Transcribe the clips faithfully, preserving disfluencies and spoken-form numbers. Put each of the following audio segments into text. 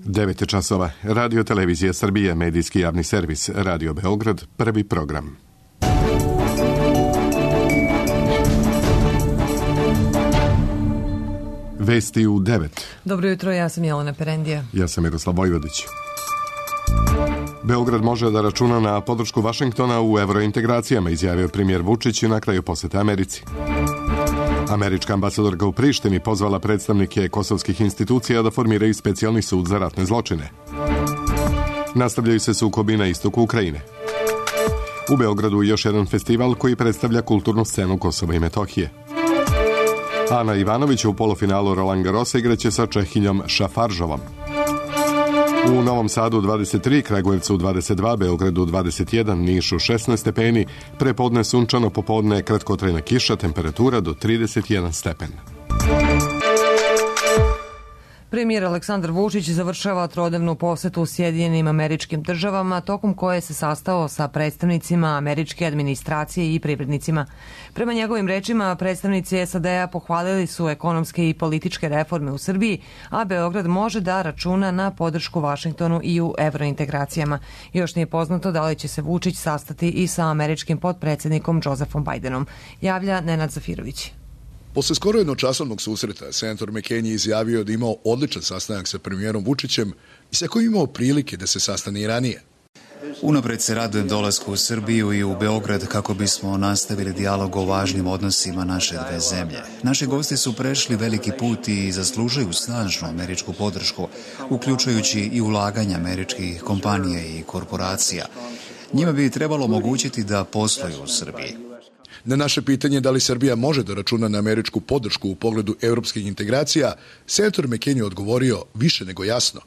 devet časova. Radio Televizija Srbije, medijski javni servis, Radio Beograd, prvi program. Vesti u devet. Dobro jutro, ja sam Jelena Perendija. Ja sam Miroslav Vojvodić. Beograd može da računa na podršku Vašingtona u evrointegracijama, izjavio premijer Vučić na kraju posete Americi. Američka ambasadorka u Prištini pozvala predstavnike kosovskih institucija da formiraju specijalni sud za ratne zločine. Nastavljaju se sukobi na istoku Ukrajine. U Beogradu još jedan festival koji predstavlja kulturnu scenu Kosova i Metohije. Ana Ivanović u polufinalu Roland Garrosa igraće sa Čehinjom Šafaržovom. U Novom Sadu dvadeset tri, Kragujevcu dvadeset dva, Beogradu dvadeset jedan, Nišu šesnaest stepeni, prepodne sunčano, popodne kratkotrajna kiša, temperatura do trideset jedan stepen. Premijer Aleksandar Vučić završava trodnevnu posetu u Sjedinjenim Američkim Državama, tokom koje se sastao sa predstavnicima američke administracije i privrednicima. Prema njegovim rečima, predstavnici S A D-a pohvalili su ekonomske i političke reforme u Srbiji, a Beograd može da računa na podršku Vašingtonu i u evrointegracijama. Još nije poznato da li će se Vučić sastati i sa američkim potpredsjednikom Josephom Bidenom, javlja Nenad Zafirović. Posle skoro jednočasovnog susreta, senator McCain je izjavio da imao odličan sastanak sa premijerom Vučićem i sa kojim imao prilike da se sastane i ranije. Unapred se radujem dolasku u Srbiju i u Beograd kako bismo nastavili dijalog o važnim odnosima naše dve zemlje. Naši gosti su prešli veliki put i zaslužuju snažnu američku podršku, uključujući i ulaganja američkih kompanija i korporacija. Njima bi trebalo omogućiti da posluju u Srbiji. Na naše pitanje da li Srbija može da računa na američku podršku u pogledu evropskih integracija, senator McCain je odgovorio više nego jasno.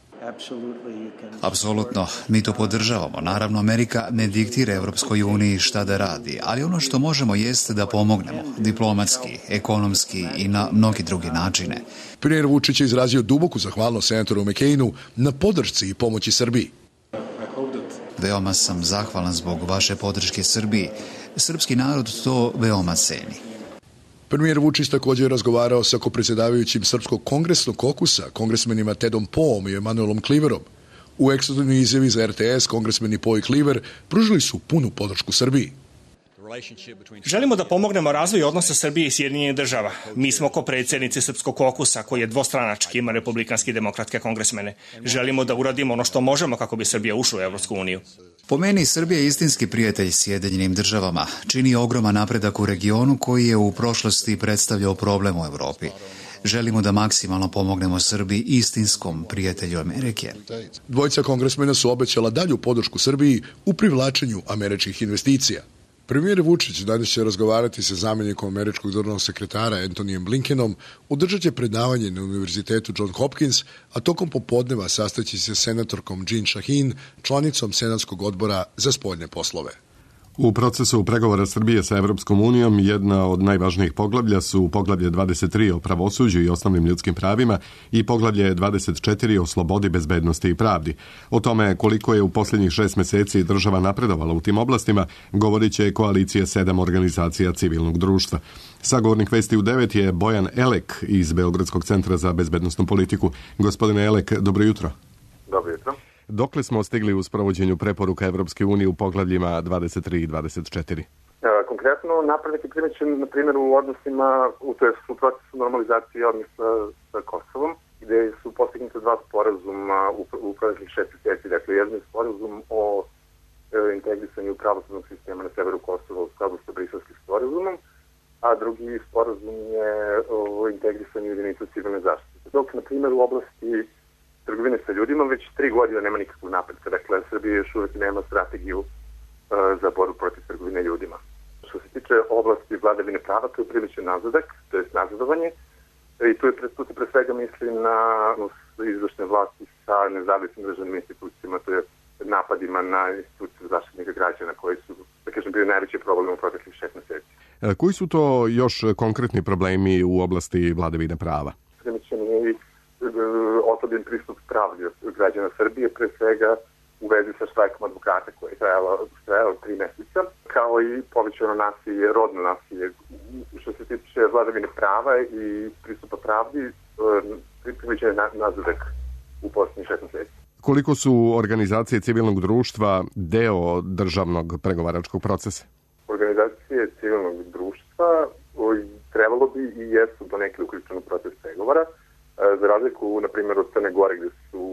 Apsolutno, mi to podržavamo. Naravno, Amerika ne diktira Evropskoj uniji šta da radi, ali ono što možemo jeste da pomognemo, diplomatski, ekonomski i na mnogi drugi načine. Premijer Vučić je izrazio duboku zahvalnost senatoru McCainu na podršci i pomoći Srbiji. Veoma sam zahvalan zbog vaše podrške Srbiji. Srpski narod to veoma ceni. Premijer Vučić također je razgovarao sa kopredsjedavajućim Srpskog kongresnog kokusa, kongresmenima Tedom Poom i Emanuelom Kliverom. U ekskluzivnoj izjavi za R T S kongresmeni Po i Kliver pružili su punu podršku Srbiji. Želimo da pomognemo razvoju odnosa Srbije i Sjedinjenih država. Mi smo kopredsjednici Srpskog kokusa, koji je dvostranački, ima republikanski i demokratske kongresmene. Želimo da uradimo ono što možemo kako bi Srbija ušla u Evropsku uniju. Po meni, Srbija je istinski prijatelj Sjedinjenim državama. Čini ogroman napredak u regionu koji je u prošlosti predstavljao problem u Evropi. Želimo da maksimalno pomognemo Srbiji, istinskom prijatelju Amerike. Dvojica kongresmena su obećala dalju podršku Srbiji u privlačenju američkih investicija. Premijer Vučić danas će razgovarati sa zamjenikom američkog državnog sekretara Antonijem Blinkenom, održat će predavanje na Univerzitetu John Hopkins, a tokom popodneva sastaći se senatorkom Jean Shaheen, članicom Senatskog odbora za spoljne poslove. U procesu pregovora Srbije sa Evropskom unijom jedna od najvažnijih poglavlja su poglavlje dvadeset tri o pravosuđu i osnovnim ljudskim pravima i poglavlje dvadeset četiri o slobodi, bezbednosti i pravdi. O tome koliko je u posljednjih šest meseci država napredovala u tim oblastima govorit će koalicija sedam organizacija civilnog društva. Sagovornik Vesti u devet je Bojan Elek iz Beogradskog centra za bezbednosnu politiku. Gospodine Elek, dobro jutro. Dobro jutro. Dokle smo stigli u sprovođenju preporuka Evropske unije u poglavljima dvadeset tri i dvadeset četiri? Konkretno, napredak je primećen, na primjer, u odnosima, u, to je u procesu normalizacije odnosa sa Kosovom, gde su postignuta dva sporazuma u, u proteklih šest mjeseci. Dakle, jedan je sporazum o e, integrisanju pravosudnog sistema na severu Kosova u skladu sa Briselskim sporazumom, a drugi sporazum je o integrisanju jedinica civilne zaštite. Dok, na primjer, u oblasti trgovine sa ljudima već tri godine nema nikakvog napretka. Dakle, Srbija još uvijek nema strategiju uh, za borbu protiv trgovine ljudima. Što se tiče oblasti vladavine prava, to je priličan nazadak, to je nazadovanje. I tu, je, tu se pre svega misli na izvršne vlasti sa nezavisnim državnim institucijama, to je napadima na instituciju zaštitnika građana koji su, da kažem, bili najveći problem u proteklih šest meseci. E, koji su to još konkretni problemi u oblasti vladavine prava? Primičan je i oslabljen pristup pravdi građana Srbije, pre svega u vezi sa štrajkom advokata koji je trajalo, trajalo tri meseca, kao i povećano nasilje, rodno nasilje. Što se tiče vladavine prava i pristupa pravdi, primećen je nazadak u posljednjih šest meseci. Koliko su organizacije civilnog društva deo državnog pregovaračkog procesa? Organizacije civilnog društva trebalo bi i jesu donekle uključene u proces pregovora, za razliku, na primjer, od Crne Gore, gde su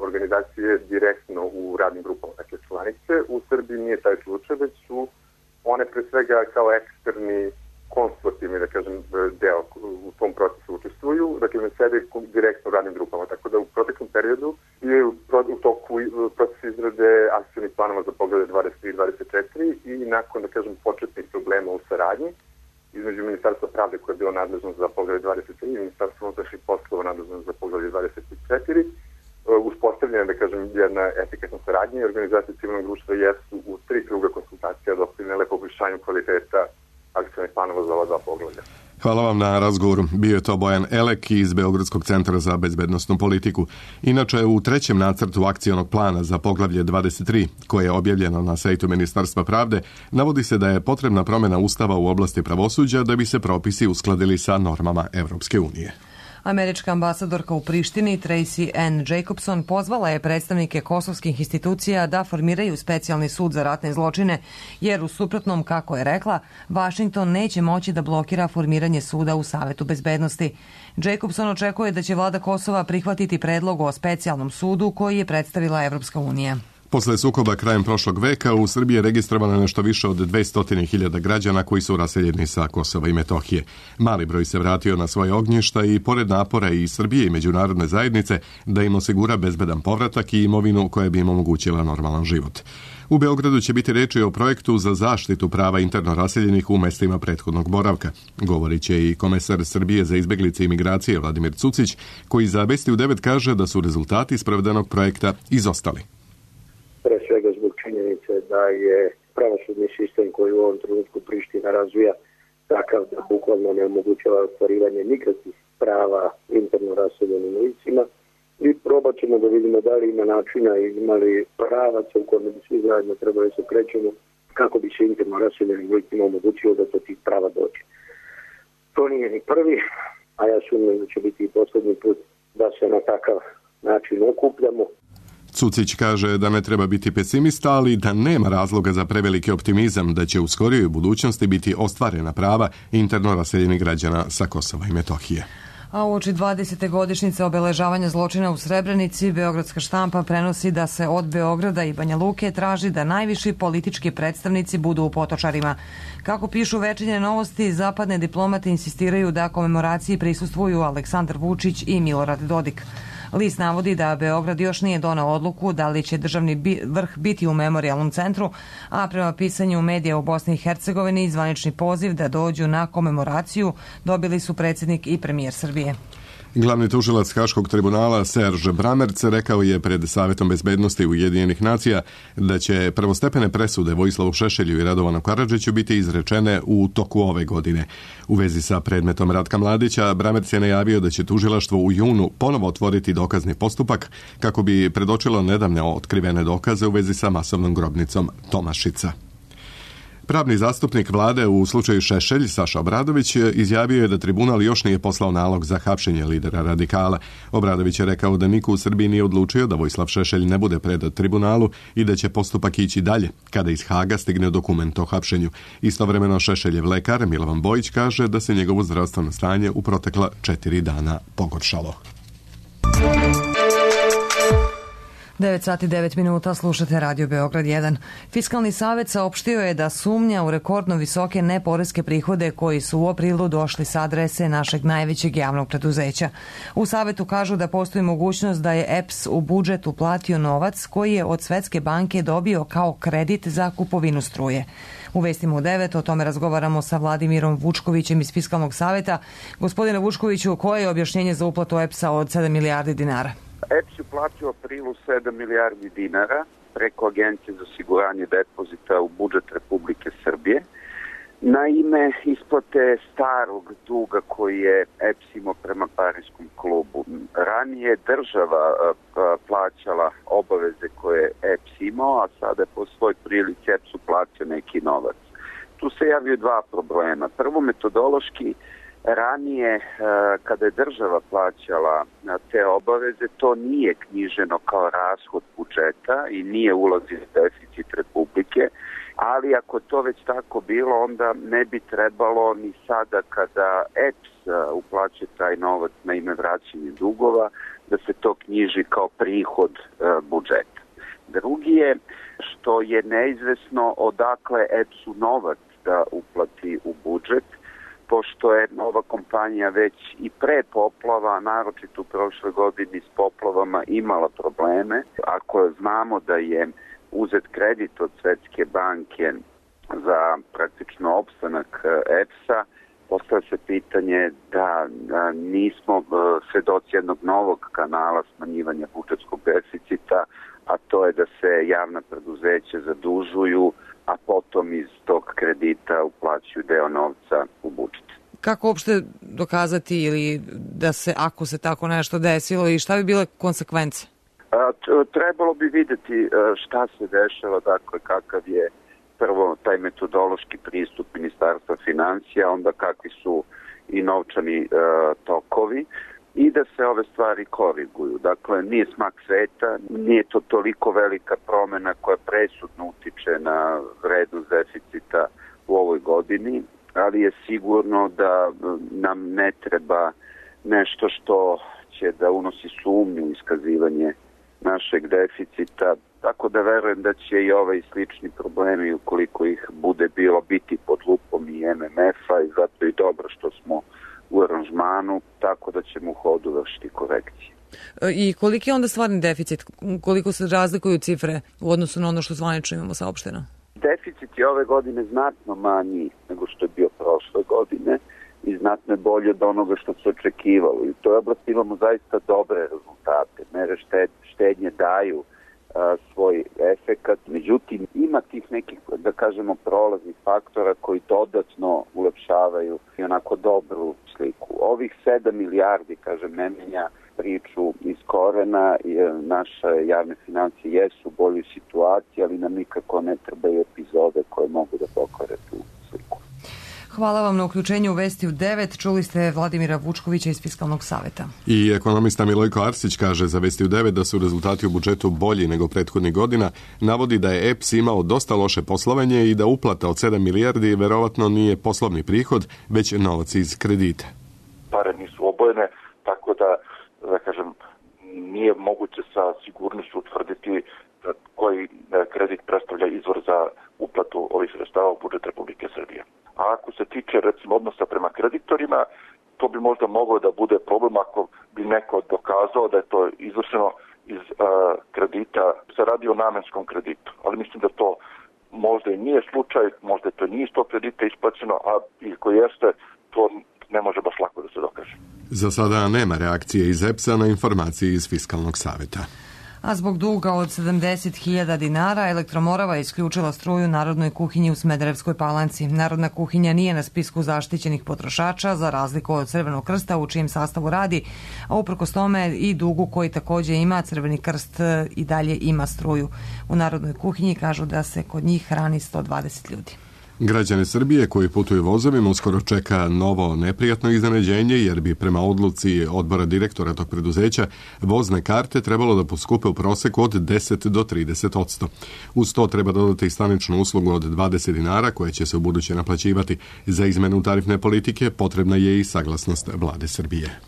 organizacije direktno u radnim grupama, dakle članice. U Srbiji nije taj slučaj, već su one pre svega kao eksterni konsultativni, da kažem, deo u tom procesu učestvuju, dakle ne sede direktno u radnim grupama, tako da u proteklom periodu je u toku proces izrade akcijnih planova za poglavlje dvadeset tri dvadeset četiri i nakon, da kažem, početnih problema u saradnji između Ministarstva pravde koje je bilo nadležno za poglavlje dvadeset tri i Ministarstva unutrašnjih poslova nadležno za poglavlje dvadeset četiri, uspostavljena, da kažem, jedna efikasna saradnja i organizacije civilnog društva jesu u tri kruga konsultacija doprinele poboljšanju kvaliteta akcijnih planova za ova dva poglavlja. Hvala vam na razgovoru. Bio je to Bojan Elek iz Beogradskog centra za bezbednosnu politiku. Inače, u trećem nacrtu akcionog plana za poglavlje dvadeset tri, koje je objavljeno na sajtu Ministarstva pravde, navodi se da je potrebna promjena Ustava u oblasti pravosuđa da bi se propisi uskladili sa normama Evropske unije. Američka ambasadorka u Prištini Tracy Ann Jacobson pozvala je predstavnike kosovskih institucija da formiraju specijalni sud za ratne zločine, jer u suprotnom, kako je rekla, Vašington neće moći da blokira formiranje suda u Savetu bezbednosti. Jacobson očekuje da će vlada Kosova prihvatiti predlog o specijalnom sudu koji je predstavila Evropska unija. Posle sukoba krajem prošlog veka u Srbiji je registrovano nešto više od dvesta hiljada građana koji su raseljeni sa Kosova i Metohije. Mali broj se vratio na svoje ognjišta i pored napora i Srbije i međunarodne zajednice da im osigura bezbedan povratak i imovinu koja bi im omogućila normalan život. U Beogradu će biti reči o projektu za zaštitu prava interno raseljenih u mestima prethodnog boravka. Govorit će i komesar Srbije za izbeglice i migracije Vladimir Cucić, koji za Vesti u devet kaže da su rezultati sprovedenog projekta izostali. Pre svega zbog činjenice da je pravosudni sistem koji u ovom trenutku Priština razvija takav da bukvalno ne omogućava ostvarivanje nikakvih prava interno raseljenim licima i probat ćemo da vidimo da li ima načina i ima li pravaca u kojem bi svi zajedno trebali se krećemo kako bi se interno raseljenim licima omogućilo da to tih prava dođe. To nije ni prvi, a ja sumnjam da će biti i poslednji put da se na takav način okupljamo. Cucić kaže da ne treba biti pesimista, ali da nema razloga za preveliki optimizam da će u skorijoj budućnosti biti ostvarena prava interno raseljenih građana sa Kosova i Metohije. A uoči dvadesete godišnjice obeležavanja zločina u Srebrenici, Beogradska štampa prenosi da se od Beograda i Banja Luke traži da najviši politički predstavnici budu u Potočarima. Kako pišu Večernje novosti, zapadne diplomate insistiraju da komemoraciji prisustvuju Aleksandar Vučić i Milorad Dodik. List navodi da Beograd još nije doneo odluku da li će državni vrh biti u memorijalnom centru, a prema pisanju medija u Bosni i Hercegovini zvanični poziv da dođu na komemoraciju dobili su predsjednik i premijer Srbije. Glavni tužilac Haškog tribunala Serge Bramerc rekao je pred Savetom bezbednosti Ujedinjenih nacija da će prvostepene presude Vojislavu Šešelju i Radovanu Karadžiću biti izrečene u toku ove godine. U vezi sa predmetom Ratka Mladića, Bramerc je najavio da će tužilaštvo u junu ponovo otvoriti dokazni postupak kako bi predočilo nedavne otkrivene dokaze u vezi sa masovnom grobnicom Tomašica. Pravni zastupnik vlade u slučaju Šešelj, Saša Obradović, izjavio je da tribunal još nije poslao nalog za hapšenje lidera radikala. Obradović je rekao da niko u Srbiji nije odlučio da Vojislav Šešelj ne bude predat tribunalu i da će postupak ići dalje kada iz Haga stigne dokument o hapšenju. Istovremeno Šešeljev lekar Milovan Bojić kaže da se njegovo zdravstveno stanje u protekla četiri dana pogoršalo. devet sati devet minuta, slušate Radio Beograd jedan. Fiskalni savet saopštio je da sumnja u rekordno visoke neporeske prihode koji su u aprilu došli sa adrese našeg najvećeg javnog preduzeća. U savetu kažu da postoji mogućnost da je E P S u budžet uplatio novac koji je od Svetske banke dobio kao kredit za kupovinu struje. U Vestima u devet o tome razgovaramo sa Vladimirom Vučkovićem iz Fiskalnog saveta. Gospodine Vučkoviću, koje je objašnjenje za uplatu E P S-a od sedam milijardi dinara? E P S je platio u aprilu sedam milijardi dinara preko Agencije za osiguranje depozita u budžet Republike Srbije na ime isplate starog duga koji je E P S imao prema Pariskom klubu. Ranije država plaćala obaveze koje je E P S imao, a sada je po svoj prilici E P S-u platio neki novac. Tu se javio dva problema. Prvo, metodološki Ranije, kada je država plaćala te obaveze, to nije knjiženo kao rashod budžeta i nije ulazio deficit Republike, ali ako to već tako bilo, onda ne bi trebalo ni sada kada E P S uplaćuje taj novac na ime vraćanja dugova, da se to knjiži kao prihod budžeta. Drugi je što je neizvesno odakle E P S-u novac da uplati u budžet, pošto je ova kompanija već i pre poplava, naročito u prošle godini s poplavama, imala probleme. Ako znamo da je uzet kredit od Svetske banke za praktično opstanak E P S-a, postavlja se pitanje da nismo svedoci jednog novog kanala smanjivanja budžetskog deficita, a to je da se javna preduzeća zadužuju, a potom iz tog kredita uplaćuju deo novca u budžet. Kako uopšte dokazati ili da se, ako se tako nešto desilo, i šta bi bile konsekvence? Trebalo bi videti šta se dešava, dakle kakav je prvo taj metodološki pristup Ministarstva finansija, onda kakvi su i novčani tokovi, i da se ove stvari koriguju. Dakle, nije smak sveta, nije to toliko velika promena koja presudno utiče na vrednost deficita u ovoj godini, ali je sigurno da nam ne treba nešto što će da unosi sumnju u iskazivanje našeg deficita, tako da verujem da će i ovaj slični problemi, ukoliko ih bude bilo, biti pod lupom i M M F-a, i zato je dobro što smo u aranžmanu, tako da ćemo u hodu vršiti korekcije. I koliki je onda stvarni deficit? Koliko se razlikuju cifre u odnosu na ono što zvanično imamo saopšteno? Deficit je ove godine znatno manji nego što je bio prošle godine i znatno je bolje od onoga što se očekivalo. I u toj oblasti imamo zaista dobre rezultate. Mere štednje daju a, svoj efekat. Međutim, ima tih nekih, da kažemo, prolaznih faktora koji dodatno ulepšavaju i onako dobru sliku. Ovih sedam milijardi, kažem, ne menja priču iz korena. Naše javne financije jesu u boljoj situaciji, ali nam nikako ne trebaju epizode koje mogu da pokvare tu sliku. Hvala vam na uključenju u Vesti u devet. Čuli ste Vladimira Vučkovića iz Fiskalnog saveta. I ekonomista Milojko Arsić kaže za Vesti u devet da su rezultati u budžetu bolji nego prethodnih godina. Navodi da je E P S imao dosta loše poslovanje i da uplata od sedam milijardi verovatno nije poslovni prihod, već novac iz kredita. Pare nisu obojene, tako da, da kažem, nije moguće sa sigurnošću utvrditi koji kredit predstavlja izvor za uplatu ovih sredstava u budžet Republike Srbije. A ako se tiče, recimo, odnosa prema kreditorima, to bi možda moglo da bude problem ako bi neko dokazao da je to izvršeno iz uh, kredita, se radi o namenskom kreditu. Ali mislim da to možda i nije slučaj, možda to nije iz tog kredita isplaćeno, a i ko jeste, to ne može baš lako da se dokaže. Za sada nema reakcije iz E P S-a na informacije iz Fiskalnog saveta. A zbog duga od sedamdeset hiljada dinara, Elektromorava je isključila struju Narodnoj kuhinji u Smederevskoj Palanci. Narodna kuhinja nije na spisku zaštićenih potrošača, za razliku od Crvenog krsta u čijem sastavu radi, a uprkos tome i dugu koji takođe ima, Crveni krst i dalje ima struju. U Narodnoj kuhinji kažu da se kod njih hrani sto dvadeset ljudi. Građane Srbije koji putuju vozovima uskoro čeka novo neprijatno iznenađenje, jer bi prema odluci odbora direktora tog preduzeća vozne karte trebalo da poskupe u proseku od deset do trideset odsto. Uz to treba dodati i staničnu uslugu od dvadeset dinara koje će se u buduće naplaćivati. Za izmenu tarifne politike potrebna je i saglasnost vlade Srbije.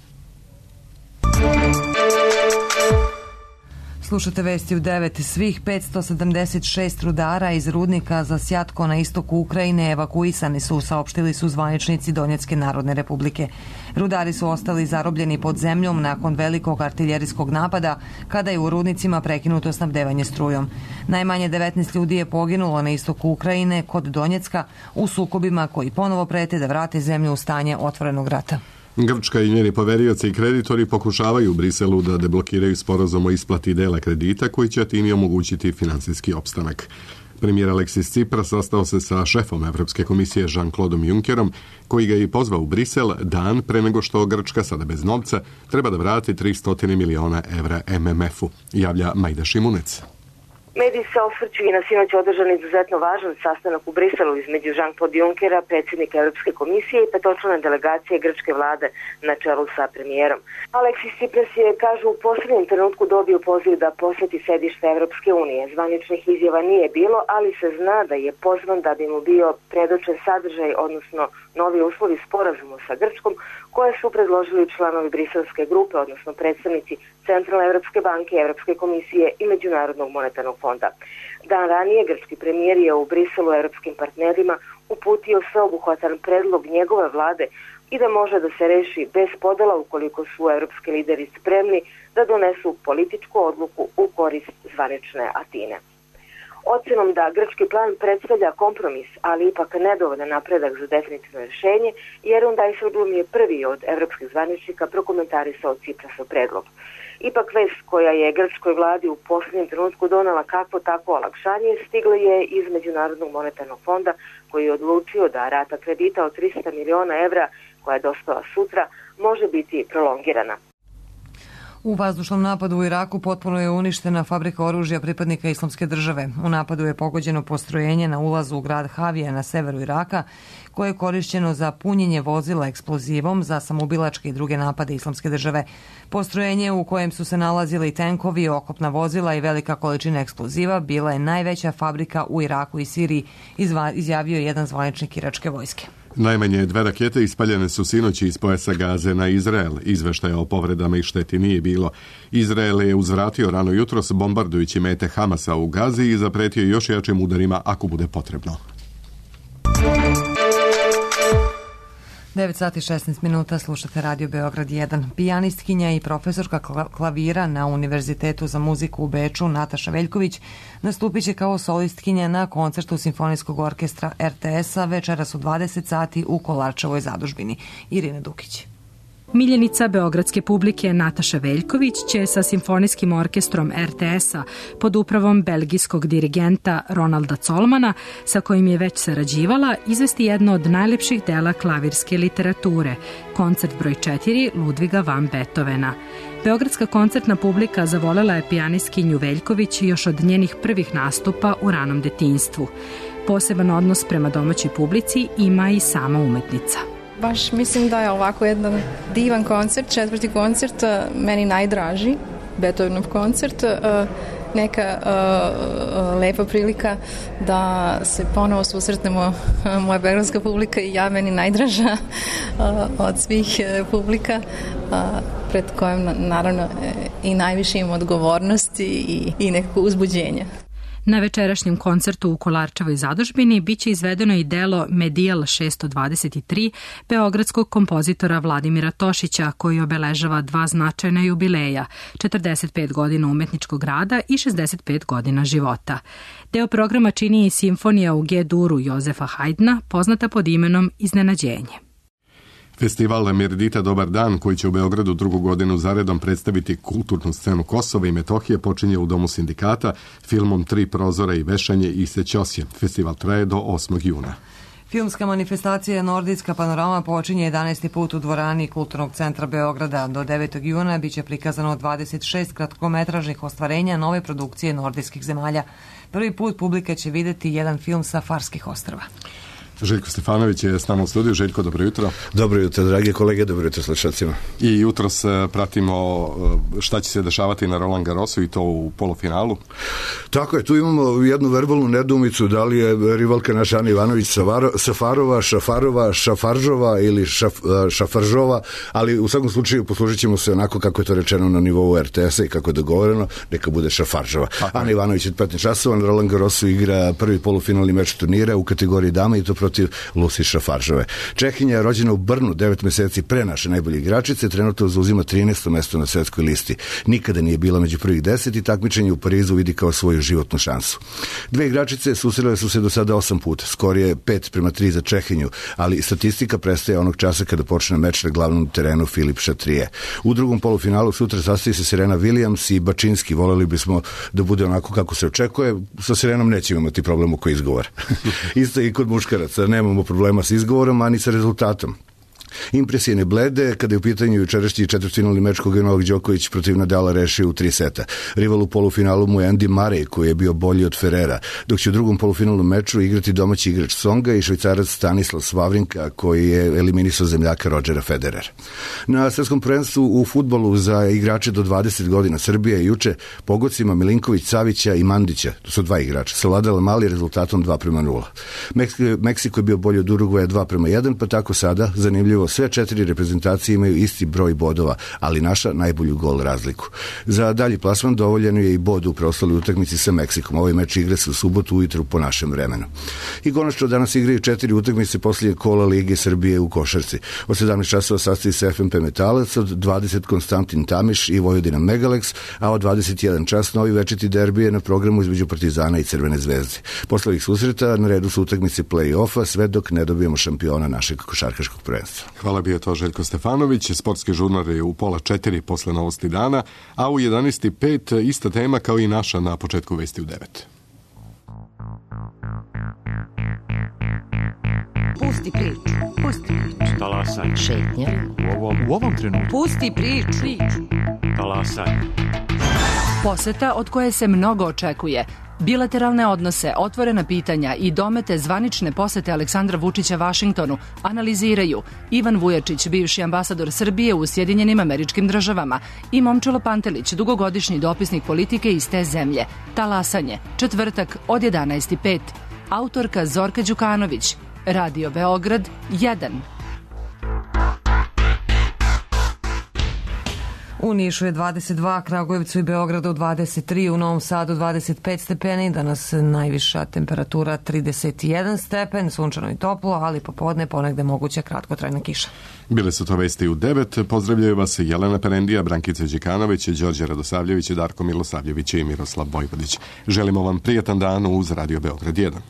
Slušate Vesti u devet. Svih petsto sedamdeset šest rudara iz rudnika za Sjatko na istoku Ukrajine evakuisani su, saopštili su zvaničnici Donjecke Narodne Republike. Rudari su ostali zarobljeni pod zemljom nakon velikog artiljerijskog napada, kada je u rudnicima prekinuto snabdevanje strujom. Najmanje devetnaest ljudi je poginulo na istoku Ukrajine kod Donjecka u sukobima koji ponovo prete da vrate zemlju u stanje otvorenog rata. Grčka i njeni poverioci i kreditori pokušavaju u Briselu da deblokiraju sporazum o isplati dela kredita koji će Atini omogućiti finansijski opstanak. Premijer Aleksis Tsipras sastao se sa šefom Evropske komisije Jean-Claude Junckerom, koji ga je pozvao u Brisel dan pre nego što Grčka, sada bez novca, treba da vrati tristo miliona evra M M F-u, javlja Majda Šimunec. Mediji se osvrću i na sinoć održan izuzetno važan sastanak u Briselu između Jean-Claude Junckera, predsjednika Europske komisije i petočlane delegacije grčke vlade na čelu sa premijerom. Aleksis Tsipras je, kažu, u posljednjem trenutku dobio poziv da posjeti sedište Europske unije. Zvaničnih izjava nije bilo, ali se zna da je pozvan da bi mu bio predočen sadržaj, odnosno novi uslovi sporazuma sa Grčkom, koje su predložili članovi briselske grupe, odnosno predstavnici Centralne Evropske banke, Evropske komisije i Međunarodnog monetarnog fonda. Dan ranije grčki premijer je u Briselu europskim partnerima uputio sveobuhvatan predlog njegove vlade i da može da se reši bez podela ukoliko su evropski lideri spremni da donesu političku odluku u korist zvanične Atine. Ocenom da grčki plan predstavlja kompromis, ali ipak nedovoljan napredak za definitivno rješenje, Jeroen Dijsselbloem je prvi od evropskih zvaničnika prokomentarisao Tsiprasov predlog. Ipak vest koja je grčkoj vladi u posljednjem trenutku donela kakvo takvo olakšanje stigla je iz Međunarodnog monetarnog fonda, koji je odlučio da rata kredita od tristo miliona evra koja je dospela sutra može biti prolongirana. U vazdušnom napadu u Iraku potpuno je uništena fabrika oružja pripadnika Islamske države. U napadu je pogođeno postrojenje na ulazu u grad Havija na severu Iraka, koje je korišćeno za punjenje vozila eksplozivom za samoubilačke i druge napade Islamske države. Postrojenje u kojem su se nalazili tenkovi, okopna vozila i velika količina eksploziva bila je najveća fabrika u Iraku i Siriji, izjavio je jedan zvaničnik iračke vojske. Najmanje dve rakete ispaljene su sinoći iz pojasa Gaze na Izrael. Izveštaja o povredama i šteti nije bilo. Izrael je uzvratio rano jutros bombardujući mete Hamasa u Gazi i zapretio još jačim udarima ako bude potrebno. devet sati i šesnaest minuta, slušate Radio Beograd jedan. Pijanistkinja i profesorka klavira na Univerzitetu za muziku u Beču, Nataša Veljković, nastupit će kao solistkinja na koncertu Simfonijskog orkestra er te es-a večeras u dvadeset sati u Kolarčevoj zadužbini. Irina Dukić. Miljenica beogradske publike Nataša Veljković će sa Simfonijskim orkestrom er te es-a pod upravom belgijskog dirigenta Ronalda Colmana, sa kojim je već sarađivala, izvesti jedno od najlepših dela klavirske literature, koncert broj četiri Ludviga van Beethovena. Beogradska koncertna publika zavolela je pijanistkinju Veljković još od njenih prvih nastupa u ranom detinjstvu. Poseban odnos prema domaćoj publici ima i sama umetnica. Baš mislim da je ovako jedan divan koncert, četvrti koncert, meni najdraži, Beethovenov koncert, neka uh, lepa prilika da se ponovo susretnemo, moja beogradska publika i ja, meni najdraža uh, od svih uh, publika, uh, pred kojom naravno i najviše imam odgovornosti i, i nekako uzbuđenja. Na večerašnjem koncertu u Kolarčevoj zadužbini biće izvedeno i delo Medijal šesto dvadeset tri beogradskog kompozitora Vladimira Tošića, koji obeležava dva značajna jubileja, četrdeset pet godina umetničkog rada i šezdeset pet godina života. Deo programa čini i simfonija u G-duru Jozefa Hajdna, poznata pod imenom Iznenađenje. Festival Mirdita Dobar dan, koji će u Beogradu drugu godinu zaredom predstaviti kulturnu scenu Kosova i Metohije, počinje u Domu sindikata filmom Tri prozora i vešanje i Sećosje. Festival traje do osmog juna. Filmska manifestacija Nordijska panorama počinje jedanaesti put u dvorani Kulturnog centra Beograda. Do devetog juna biće prikazano dvadeset šest kratkometražnih ostvarenja nove produkcije nordijskih zemalja. Prvi put publika će videti jedan film sa Farskih ostrva. Željko Stefanović je s nama u studiju. Željko, dobro jutro. Dobro jutro, dragi kolege, dobro jutro slušalcima. I jutros pratimo šta će se dešavati na Roland Garrosu i to u polufinalu. Tako je, tu imamo jednu verbalnu nedoumicu, da li je rivalka naša Ana Ivanović Safarova, Šafarova, Šafaržova ili šaf, Šafaržova, ali u svakom slučaju poslužit ćemo se onako kako je to rečeno na nivou er te es-a i kako je dogovoreno, neka bude Šafaržova. Tako Ana je. Ivanović je petnaest časova na Roland Garrosu igra prvi polufinalni meč turnira u kategoriji dama i to protiv Lucy Šafaržove. Čehinja je rođena u Brnu devet meseci pre naše najbolje igračice, trenutno zauzima trinaesto mesto na svetskoj listi. Nikada nije bila među prvih deset i takmičenje u Parizu vidi kao svoju životnu šansu. Dve igračice susrele su se do sada osam puta, skorije pet prema tri za Čehinju, ali statistika prestaje onog časa kada počne meč na glavnom terenu Filip Šatrije. U drugom polufinalu sutra sastoji se Serena Williams i Bačinski. Voleli bismo da bude onako kako se očekuje. Sa Serenom nećemo imati problem oko izgovora. Isto i kod muškaraca. Nemamo problema s izgovorom, ani sa rezultatom. Impresije ne blede kada je u pitanju jučerašnji četvrtfinalni meč koga je Novak Đoković protiv Nadala rešio u tri seta. Rival u polufinalu mu je Andy Murray koji je bio bolji od Ferrera, dok će u drugom polufinalnom meču igrati domaći igrač Songa i Švajcarac Stanislav Wawrinka koji je eliminisao zemljaka Rodgera Federera. Na svetskom prvenstvu u fudbalu za igrače do dvadeset godina Srbija je juče pogodcima Milinković, Savića i Mandića, to su dva igrača, savladala mali rezultatom dva prema nula. Meksiko je bio bolji od Urugvaja dva prema jedan, pa tako sada, zanimljivo, sve četiri reprezentacije imaju isti broj bodova, ali naša najbolju gol razliku. Za dalji plasman dovoljan je i bod u preostaloj utakmici sa Meksikom. Ovaj meč igra se u subotu ujutru po našem vremenu. I konačno danas igraju četiri utakmice poslije kola Lige Srbije u košarci. Od sedamnaest časova sastavi se F M P Metalac, od dvadeset Konstantin Tamiš i Vojvodina Megalex, a od dvadeset jedan čas novi večiti derbi je na programu između Partizana i Crvene zvezde. Posle ovih susreta na redu su utakmice play-offa sve dok ne dobijemo šampiona našeg košarkaškog prvenstva. Hvala, bio to Željko Stefanović. Sportski žurnar je u pola četiri posle novosti dana, a u jedanaest i pet ista tema kao i naša na početku vesti u devet. Pusti priču, pusti priču. Talasaj. Šetnja. U ovom, u ovom trenutku. Pusti priču. Talasaj. Poseta od koje se mnogo očekuje. Bilateralne odnose, otvorena pitanja i domete zvanične posete Aleksandra Vučića Vašingtonu analiziraju Ivan Vujačić, bivši ambasador Srbije u Sjedinjenim Američkim Državama, i Momčilo Pantelić, dugogodišnji dopisnik politike iz te zemlje. Talasanje, četvrtak od jedanaest i pet. Autorka Zorka Đukanović, Radio Beograd jedan. U Nišu je dvadeset dva, Kragujevcu i Beogradu dvadeset tri, u Novom Sadu dvadeset pet stepeni, danas najviša temperatura trideset jedan stepen, sunčano i toplo, ali popodne ponegde moguća kratkotrajna kiša. Bile su to vesti u devet. Pozdravljaju vas Jelena Perendija, Brankica Đikanović, Đorđe Radosavljević, Darko Milosavljević i Miroslav Vojvodić. Želimo vam prijatan dan uz Radio Beograd jedan.